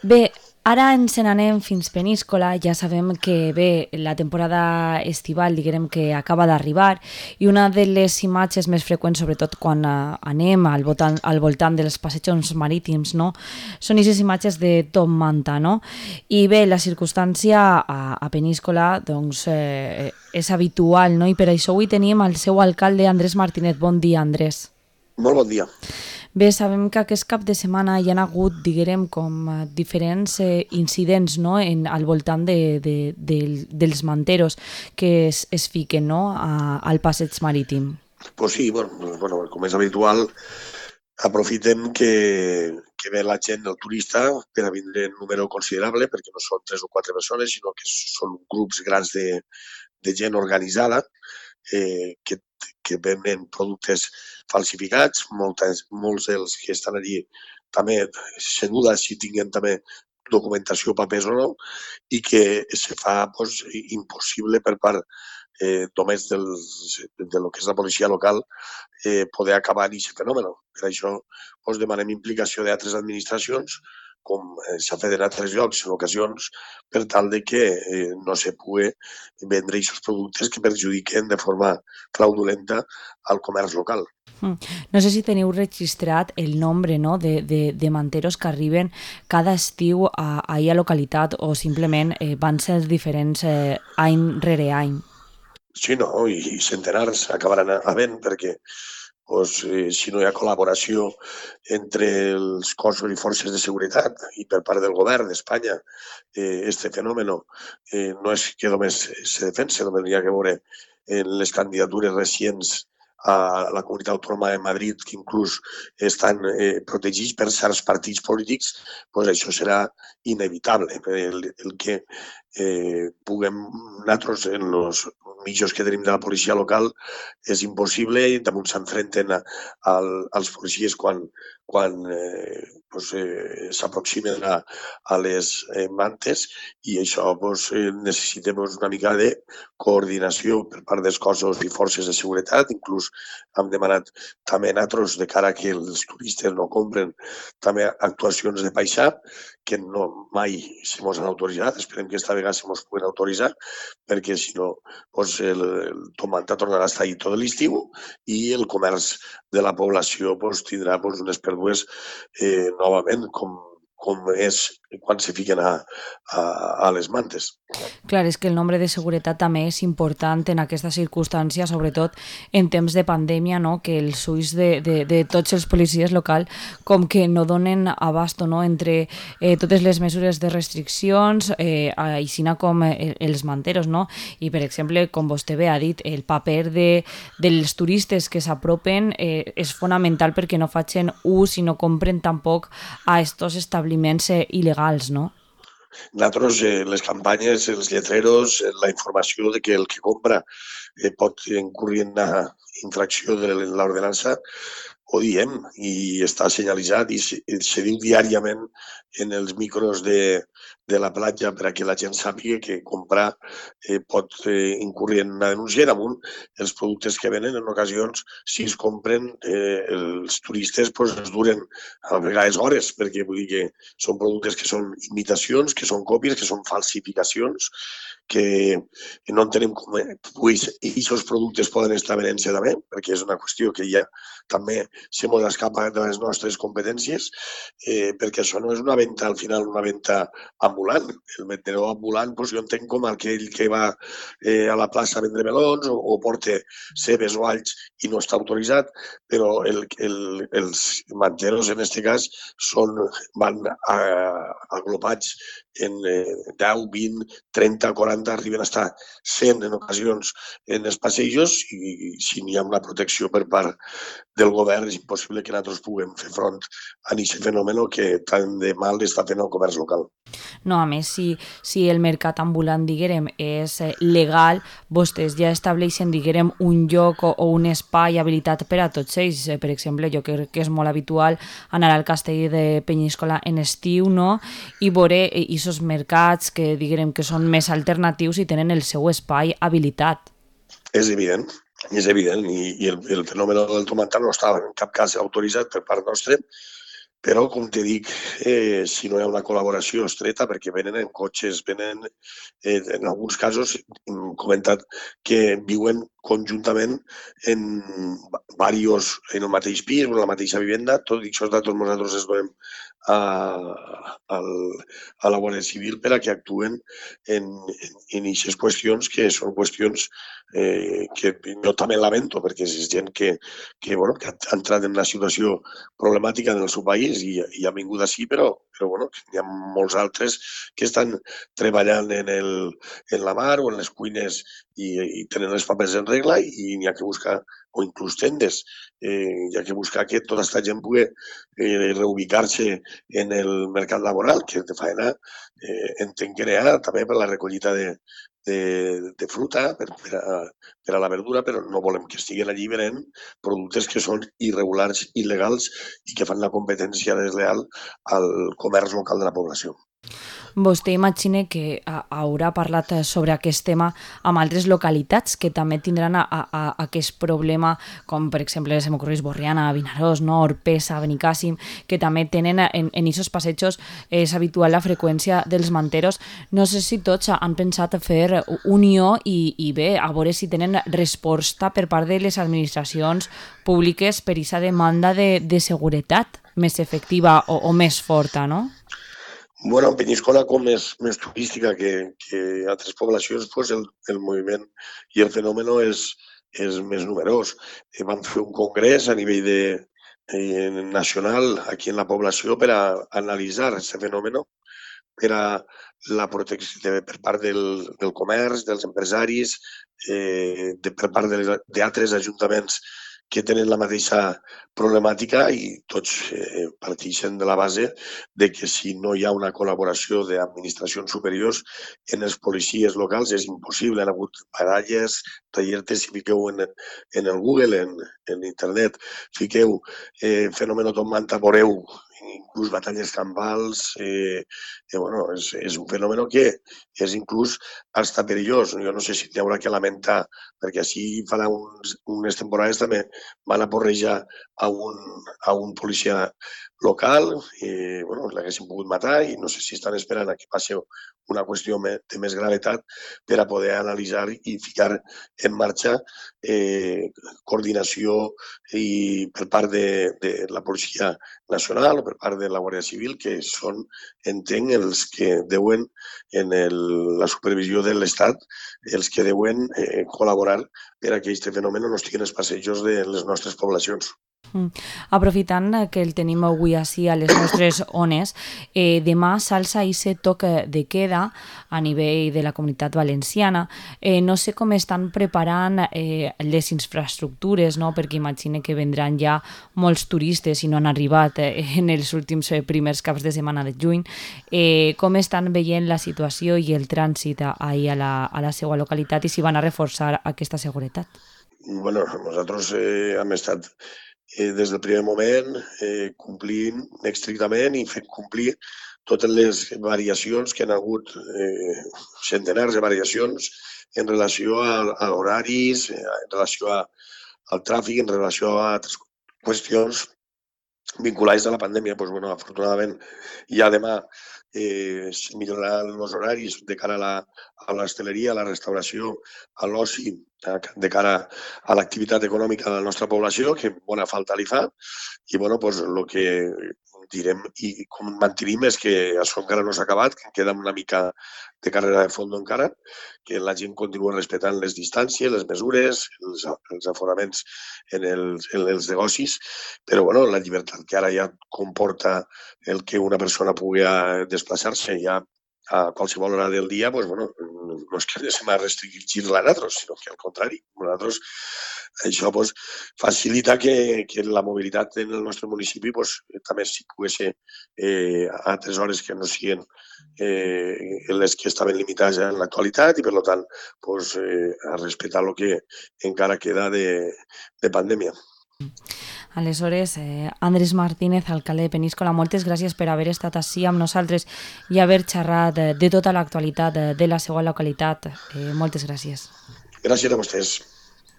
Bé, ara ens n'anem fins Peníscola, ja sabem que bé, la temporada estival diguem que acaba d'arribar i una de les imatges més freqüents, sobretot quan anem al voltant dels passejos marítims, no? Són aquestes imatges de Tom Manta, no? I bé, la circumstància a Peníscola doncs, és habitual, no? I per això avui tenim el seu alcalde, Andrés Martínez. Bon dia, Andrés. Molt bon dia. Bé, sabem que aquest cap de setmana hi ha hagut, diguem, com diferents incidents, no?, al voltant dels manteros que es fiquen, no?, al passeig marítim. Pues sí, bueno, com és habitual, aprofitem que ve la gent, el turista, per a vindre en número considerable, perquè no són 3 o 4 persones, sinó que són grups grans de gent organitzada que venen productes falsificats. Molts dels que estan allí també se duda si tinguen també documentació, papers o no, i que se fa impossible per part només de lo que és la policia local poder acabar amb aquest fenomen. Per això demanem implicació d'altres administracions, com s'ha fet en altres llocs en ocasions, per tal de que no se pugui vendre aquests productes que perjudiquen de forma fraudulenta al comerç local. No sé si teniu registrat el nombre, no?, de manteros que arriben cada estiu a la localitat o simplement van ser diferents any rere any. Sí, no, i centenars acabaran havent, perquè si no hi ha col·laboració entre els cossos i forces de seguretat i per part del govern d'Espanya, este fenomen no és que només se defensa, només hi ha que veure en les candidatures recents a la comunitat autònoma de Madrid, que inclús estan protegits per certs partits polítics, això serà inevitable. El que puguem nosaltres, en els mitjos que tenim de la policia local, és impossible, i damunt s'enfrenten als policies quan s'aproximen a les mantes, i això necessitem una mica de coordinació per part dels cossos i forces de seguretat. Inclús hem demanat també nosaltres, de cara a que els turistes no compren, també actuacions de paisà, que no mai se mos han autoritzat. Esperem que esta vegada se mos puguen autoritzar, perquè si no el tomata tornarà a estar ahí tot l'estiu i el comerç de la població tindrà unes pèrdues novament, com és quan se fiquen a les mantes. Clar, és que el nombre de seguretat també és important en aquesta circumstància, sobretot en temps de pandèmia, no?, que els ulls de tots els policies locals com que no donen abasto, no?, entre totes les mesures de restriccions, així com els manteros, no? I, per exemple, com vostè bé ha dit, el paper dels turistes que s'apropen és fonamental perquè no facin ús i no compren tampoc a estos establiments il·legals, no? Nosaltres, les campanyes, els lletreros, la informació de que el que compra pot incurrir en una infracció de l'ordenança, ho diem i està senyalitzat i se diu diàriament en els micros de la platja, per a que la gent sàpiga que comprar pot incurrir en una denúncia. Damunt, els productes que venen, en ocasions, si es compren, els turistes els duren a vegades hores, perquè vull dir que són productes que són imitacions, que són còpies, que són falsificacions, que no entenem com aquests productes poden estar venent-se també, perquè és una qüestió que ja també se mos escapa de les nostres competències, perquè això no és una venda, al final, una venda ambulant. El vendedor ambulant, jo entenc com aquell que va a la plaça a vendre melons o porta cebes o alls i no està autoritzat, però els manteros, en aquest cas, van agrupats en 10, 20, 30, 40, arriben a estar 100 en ocasions en els passejos, i si n'hi ha una protecció per part del govern és impossible que nosaltres puguem fer front a aquest fenomen que tant de mal està fent el comerç local. No, a més, si el mercat ambulant, diguem, és legal, vostès ja estableixen, diguem, un lloc o un espai habilitat per a tots ells. Per exemple, jo crec que és molt habitual anar al castell de Penyíscola en estiu, no?, i veure aquests mercats que, diguem, que són més alternatius i tenen el seu espai habilitat. És evident, i el fenomen del tomatar no estava en cap cas autoritzat per part nostra, Però, com te dic, si no hi ha una col·laboració estreta, perquè venen en cotxes, venen, en alguns casos, hem comentat que viuen conjuntament en en el mateix pis o en la mateixa vivenda, tot i aquests datos nosaltres els donem a, a la Guàrdia Civil per a que actuen en aquestes qüestions que són qüestions que jo també lamento, perquè és gent que ha entrat en una situació problemàtica en el seu país i ha vingut així, però hi ha molts altres que estan treballant en la mar o en les cuines i tenen els papers en regla i n'hi ha que buscar, o inclús tendes, hi ha que buscar que tota aquesta gent pugui reubicar-se en el mercat laboral, que de faena entenc que n'hi ha també per la recollida de fruta, per a la verdura, però no volem que estiguin allí venent productes que són irregulars, il·legals i que fan la competència desleal al comerç local de la població. Vostè imagina que haurà parlat sobre aquest tema amb altres localitats que també tindran aquest problema, com per exemple se m'ocorreix Borriana, Vinaròs, no? Orpesa, Benicàssim, que també tenen en aquests passejos és habitual la freqüència dels manteros. No sé si tots han pensat fer unió i bé, a veure si tenen resposta per part de les administracions públiques per aquesta demanda de seguretat més efectiva o més forta, no? Bueno, en Penyíscola, com és més turística que altres poblacions, pues el moviment i el fenomen és més numerós. Vam fer un congrés a nivell nacional aquí en la població per a analitzar aquest fenomen, per a la protecció per part del comerç, dels empresaris, per part d'altres ajuntaments que tenen la mateixa problemàtica i tots parteixen de la base de que si no hi ha una col·laboració d'administracions superiors en els policies locals és impossible. Han hagut baralles, tallertes, si fiqueu en el Google, en internet, fiqueu fenomen Tom Manta, veureu inclús batalles campals, és un fenomen que és inclús hasta perillós. Jo no sé si n'hi haurà que lamentar, perquè així farà unes temporades també van aporrejar a un policia local, l'haguessin pogut matar i no sé si estan esperant a que passi una qüestió de més gravetat per a poder analitzar i ficar en marxa coordinació i per part de la Policia Nacional o per part de la Guàrdia Civil, que són, entenc, els que deuen en la supervisió de l'Estat, els que deuen col·laborar per a que aquest fenomen no estigui en els passejos de les nostres poblacions. Aprofitant que el tenim avui així a les nostres ones, demà s'alça aquest toc de queda a nivell de la Comunitat Valenciana. No sé com estan preparant les infraestructures, no? Perquè imagine que vendran ja molts turistes i no han arribat en els últims primers caps de setmana de juny. Com estan veient la situació i el trànsit ahir a la seva localitat i si van a reforçar aquesta seguretat? Bueno, nosaltres hem estat des del primer moment complint estrictament i fent complir totes les variacions que han hagut, centenars de variacions en relació a horaris, en relació al tràfic, en relació a altres qüestions vinculades a la pandèmia. Afortunadament, ja demà es milloraran els horaris de cara a l'hostaleria, a la restauració, a l'oci, de cara a l'activitat econòmica de la nostra població, que bona falta li fa. I el que direm i com mantenim és que això encara no s'ha acabat, que queda una mica de carrera de fons encara, que la gent continua respectant les distàncies, les mesures, els aforaments en els negocis, però la llibertat que ara ja comporta el que una persona pugui desplaçar-se ja a qualsevol hora del dia, no és que se m'ha restringit a nosaltres, sinó que al contrari, nosaltres això facilita que la mobilitat en el nostre municipi també s'hi pugui ser a altres hores que no siguin les que estaven limitades en l'actualitat i, per tant, a respectar el que encara queda de pandèmia. Aleshores, Andrés Martínez, alcalde de Peníscola, moltes gràcies per haver estat així amb nosaltres i haver xerrat de tota l'actualitat de la seva localitat. Moltes gràcies. Gràcies a vostès.